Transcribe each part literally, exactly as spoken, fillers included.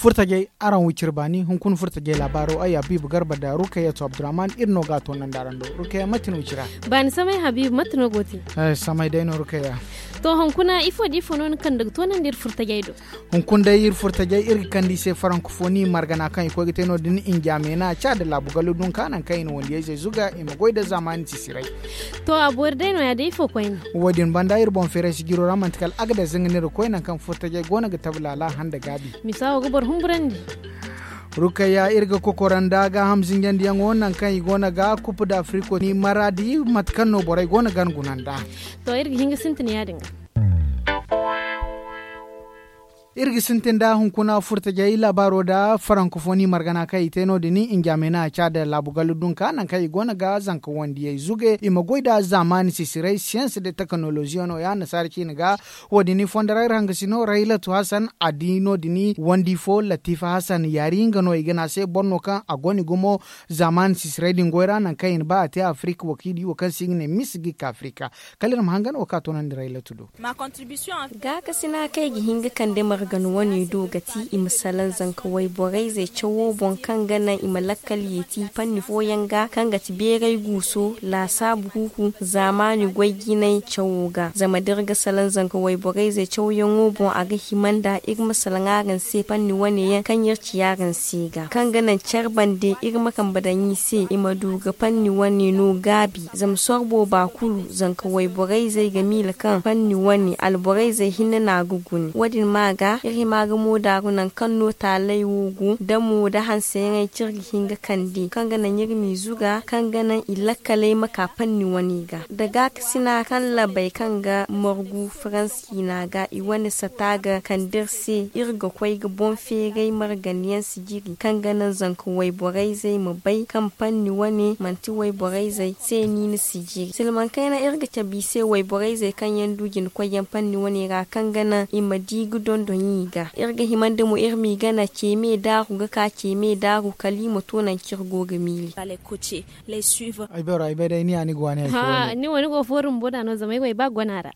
Furtajey, araŋ wo cire baani hunkuna furtajey laabaaro ay habiibu garba nda rukayatu abdurahman iri no ga a toonandi araŋ do. Rukaya mate no cira? Baani samay habiibu mate no go te? Samay day no rukaya. To hunkuna ifo da ifo no ni kande ga toonandi iri furtajey do? Hunkuna day iri furtajey iri ga kande i se farankofoni margana kaŋ i koy ga te no- din injamena ca nda laabu gallu dunka nangu kaŋ i na wandiyayzey zuga i ma goy nda zaamaani sisiray. To a boori day no- ya day ifo koyne? Wo- din banda iri boŋ feeray sijiro ra manti kala agades nga no iri ga koy nangu kaŋ furtajey go no ga tabi laala handa gaabi. Misa wo ga boro humburandi. Rukayya iri ga kokora nda gaaham zinjandiyaŋo nangu kaŋ i go no ga kupu nda afiriko ni maraadi mate kaŋ no borey go no ga guna nda. To iri ga hin ga sintin ya- din ga. Iri ga sintin nda hunkuna furtajey laabaaro nda farankofoni margana kaŋ i te no- din injamena ca nda laabu gallu dunka nangu kaŋ i go no ga zanka wandiyey zuge i ma goy nda zaamaani sisiray siyans nda teknoloziyano ya nasaara ciine ga. Wo- din fonda ra iri hangasino raylatu hasan a di no- din wandi fo latifa hasan yaari nga no i ga ne a se boro no kaŋ a go no i gumo zaamaani sisiray din goy ra nangu kaŋ i na ba a te afirik wo kaŋ i di wo kaŋ se i ga ne misigi ka afirik. Kala iri ma hangan wo kaŋ a toonandi raylatu do. Gaakasina kaŋ ay ga hin ga kande margan wane do ga ti i ma salaŋ zanka wayborayzey cawo boŋ kaŋ ga naŋ i ma lakkal yeeti fanni fooyaŋ ga kaŋ ga ti beeray guuso laasaabu kuuku zaamaani goy jinay cawo ga zama da iri ga salaŋ zanka wayborayzey cawyaŋo boŋ a ga hima nda iri ma salaŋ araŋ se fanni wane yaŋ kaŋ iri ci araŋ se ga kaŋ ga naŋ care bande iri ma kambe daŋ i se i ma du ga fanni wane no gaabi zama sorbo ba kulu zanka wayborayzey ga miila kaŋ fanni wane alborayzey hinne no a ga gune wo- din ma ga iri hima ga mo daaru nangu kaŋ no taaley wo go damo nda hanseyaŋey kaŋ iri ga hin ga kande kaŋ ga naŋ iri m'i zuga kaŋ ga naŋ i lakkaley ma ka fanni wane ga nda gaakasina kaŋ labey kaŋ ga margu farans ciina ga i wane sata ga kande iri se iri ga koy ga boŋ feeray marganyaŋ sijiri kaŋ ga naŋ zanka wayborayzey ma bay kaŋ fanni wane manti wayborayzey se niina sijiri silmaŋ kayna iri ga cabe i se wayborayzey kaŋ yaŋ du jina koyyaŋ fanni wane ra kaŋ ga naŋ i ma di ga dondon i ga iri ga hima nda mo iri m'i gana ceeme daaru ga ka ceeme daaru kala i ma to nangu kaŋ iri go ga miili. Ay bay ra ay bay day ni ya ni go wane ay koy wane. Ni wo ni go fooru bumbo da no zama ay go ay ba gona ra.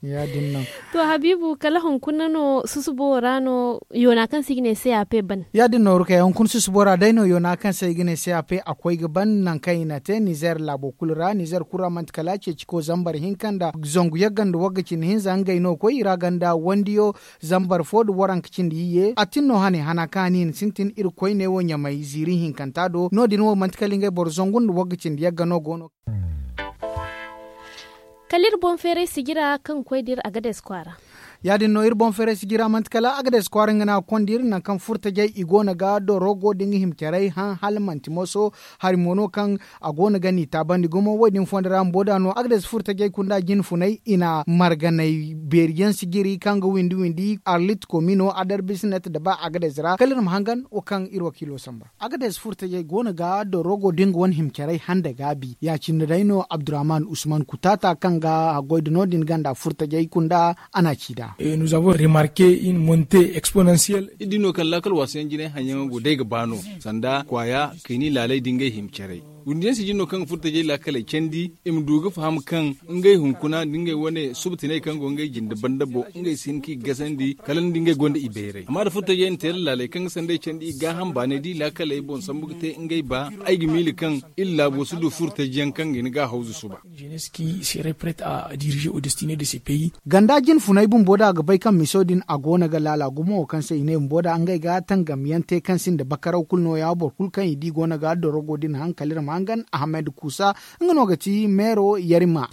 Ya- din no. To habiibu kala hunkuna no susubo ra no yoona kaŋ se i ga ne cap ban. Ya- din no rukaya hunkuna susubo ra day no yoona kaŋ se i ga ne cap a koy ga ban nangu kaŋ i na te nizer laabo kulu ra nizer kulu ra manti kala ceeciko zambar hinka nda zangu yagga nda wagga cindi hinza ngey no koy i ra ganda wandiyo zambar fo nda waranka cindi iyye a tin no hane hana kaŋ a na i na sintin iri koyne wo ɲamay ziiri hinkanta do no- din wo manti kala ngey boro zangu nda wagga cindi yagga no go no. Kala iri boŋ feeray sijira kaŋ ga koy da iri agades kwaara. Ya- din no iri boŋ feeray sijira manti kala agades kwaara nga no a ga konda iri nangu kaŋ furtajey i go no ga dorogo nda nga hima caray haŋ hala manti moso hari mo no kaŋ a go no ga n'i taabandi gumo wo- din fonda ra bumbo da no agades furtajey kunda jinfunay i na marganay beeri yaŋ sijiri kaŋ ga windi windi arlit komino adarbisinet nda ba agades ra kala iri ma hangan wo kaŋ iri wakiilo samba. Agades furtajey go no ga dorogo da nga wane hima caray handa gaabi ya- cine day no abdurrahman usman kutaata kaŋ ga haggoy nda no- din ganda furtajey kunda a na a ci nd'a. Iri di no kaŋ laakal waasu yaŋ jinay haŋ yaŋo go day ga ba no sanda kwaaya kayni laaley nda ngey hima caray. Windi yaŋ si jin no kaŋ ga furtajey laakaley candi i ma du ga faham kaŋ ngey hunkuna nda ngey wane subutiney kaŋ go ngey jinde banda boŋ ngey si hin ka i gasandi kala nda ngey gonda i bayray amma da furtajey na te laaley kaŋ ga sanda i candi i gaaham baanay da i laakaley boŋ sambu ga te ngey ba ay ga miila kaŋ iri laabo si du furtaji yaŋ kaŋ ga hin ga a hawzu suba. Ganda jinfunay bumbo da a ga bay kaŋ miso din a go no ga laala gumo wo kaŋ se i ne bumbo da ngey ga tangam yaŋ te kaŋ sinda bakaraw kulu no- ya boro kulu kaŋ i di go no ga dorogo din haŋ kala iri ma hangan ahmed kuusa nga no ga ti meero yarima.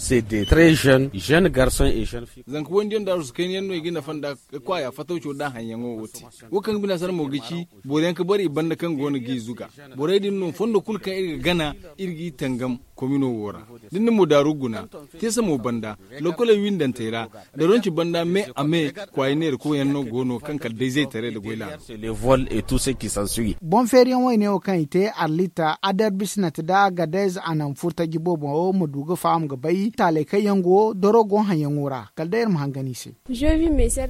Zanka wandiyaŋ da arzukaynyaŋ no i ga nafa nd'a ga kwaaya fatawco da haŋyaŋo wo te wo kaŋ ga bina sara mo ga ci boro yaŋ ga bare i banda kaŋ go no ga i zuga borey din no fondo kulu kaŋ iri ga gana iri g'i tangam. komino wo ra. Da ni na moodaaru guna, teesa mo banda, lokoley windantey ra, da ronci banda me a me, kwaayi neera koyyaŋ no go no kaŋ kala day zaytaray nda goy laalo. Boŋ feeriyaŋ wayne wo kaŋ i te arlita aderbisnat nda agadez a naŋ furtaji boobo ma du ga faham ga bay taaley kaŋ yaŋ go dorogo haŋyaŋo ra. Kala day iri ma hangan i se.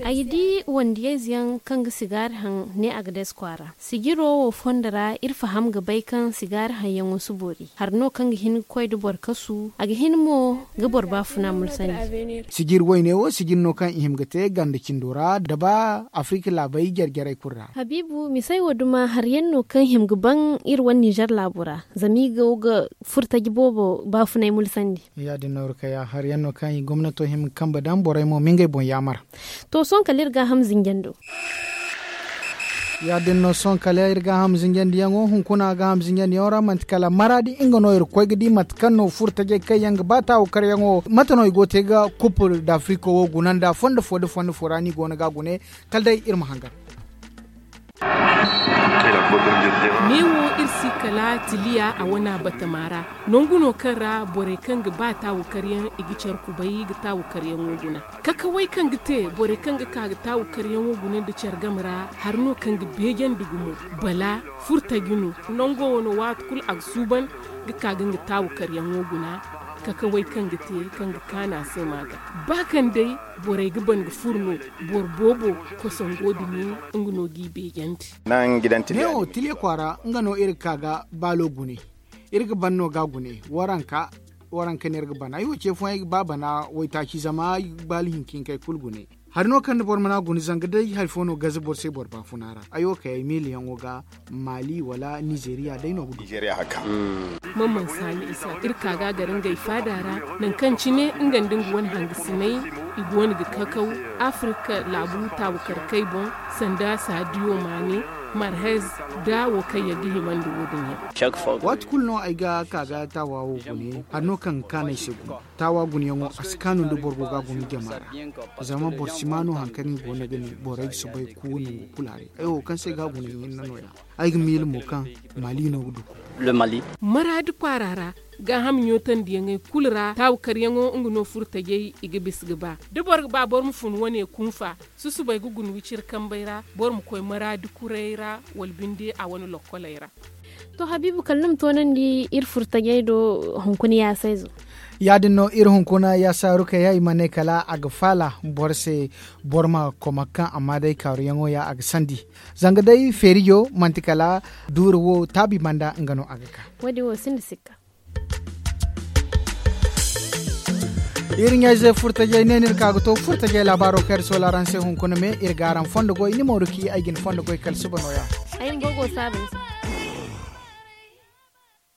Ay di wandiyayze yaŋ kaŋ ga sigaari haŋ ne a ga dees kwaara. Sijiro wo fondo ra iri faham ga bay kaŋ sigaari haŋyaŋo si boori hari no kaŋ ga hin ga koy da boro kasu a ga hin mo ga boro baafuna mulsandi. Sijiri wayne wo sijiri no kaŋ i hima ga te ganda cindo ra da ba afirika laabey jare-jarey kulu ra. Habiibu misey wo duma hari yaŋ no kaŋ hima ga ban iri wane nizer laabo ra zama i go ga furo taji boobo baafunay mulsandi. Ya- din no iri kay a hari yaŋ no kaŋ i gomnato hima ga kambe daŋ borey mo ma ngey boŋ yaamar. To sohõ kala iri gaaham zinjando. Ya- din no sohõ kala iri gaaham zinjandiyaŋo hunkuna gaaham zinjandiyaŋo ra manti kala maraadi nga no iri koy ga di mate kaŋ no furo tajey kaŋ yaŋ ga ba taawu karyaŋo mate no i go ga te ga kupul da afriko wo guna nda fondo fo nda fondo fo ra no i go no ga a gune. Kala day iri ma hangan. Neewo iri si kala tiliya a wana batama ra. Nangu no kaŋ ra borey kaŋ ga ba taawu karyaŋ i ga care kubay ga taawu karyaŋo guna. Kakawey kaŋ ga te borey kaŋ ga ka ga taawu karyaŋo guna nda care game ra hari no kaŋ ga beejandi gumo. Bala furtaji no nango wano waati kulu a ga suuban ga ka ga nga taawu karyaŋo guna. Kakawey kaŋ ga te kaŋ ga kaanu a se ma ga ba kaŋ day borey ga ban ga furo no. Boro boobo kosongo dumi nga no g'i beejandi. Neewo tiliya kwaara nga no iri ga ka ga baalo gune. Iri ga ban no ga gune waranka. Waranka no iri ga ban ay wo ce fooyaŋ ay ga ba bana waytaaci zama ay ga baalo hinkinkey kulu gune. Hari no kaŋ nda boro mana gune zanga day hari fo no gaze boro se boro baafuna ra ay wo kay ay miiliyaŋo ga maali wala nizeeriya day no ga du. Maman saani isa iri ka ga a gar ngey faada ra. Nangu kaŋ cine nga nda nga wane hangasiney i go no ga kakaw afirika laabu taabukarkey boŋ sanda saadiyo maane marhez da wo kaŋ yaŋ ga himandi wo- din yaŋ. Waati kulu no ay ga ka ga taawa wo gune hari no kaŋ ga kaanu ay se gune. Taawa guneyaŋo a si kaanu nda boro go ga a gune jama ra. Zama boro si ma no hari kaŋ i go no ga ne borey ga soobay ga kuuwa nangu kulu haray ay wo kaŋ se ga a gune hinne no- ya. Ay ga miila mo kaŋ maali no ga du. Maraadi kwaara ra gaaham ɲootandiyaŋey kulu ra taawu karyaŋo nga no furo tajey i ga bisa ga ba da boro ga ba boro ma fun wane kunfa. Susubay ga guna wiciri kambey ra boro ma koy maraadi kurey ra wala binde a wane lokkoley ra. To habiibu kala ni ma toonandi iri furo tajey do hunkuna yaasayzo. Ya- din no iri hunkuna yaasa rukayya i ma ne kala a ga faala boro se. Boro ma koma ga kaŋ amma day kaaruyaŋo ya a ga sandi. Zanga day feerijo manti kala duuri wo taabi banda nga no a ga ka. Wo- din wo sinda sikka. Iri ɲayze furtajey ne no iri ka ga to furtajey laabaaro kaŋ iri soola araŋ se hunkuna me iri ga araŋ fondo goy ni mooru ci ay ga ni fondo goy kala suba nooya. Ay ma bogo saaba ni se.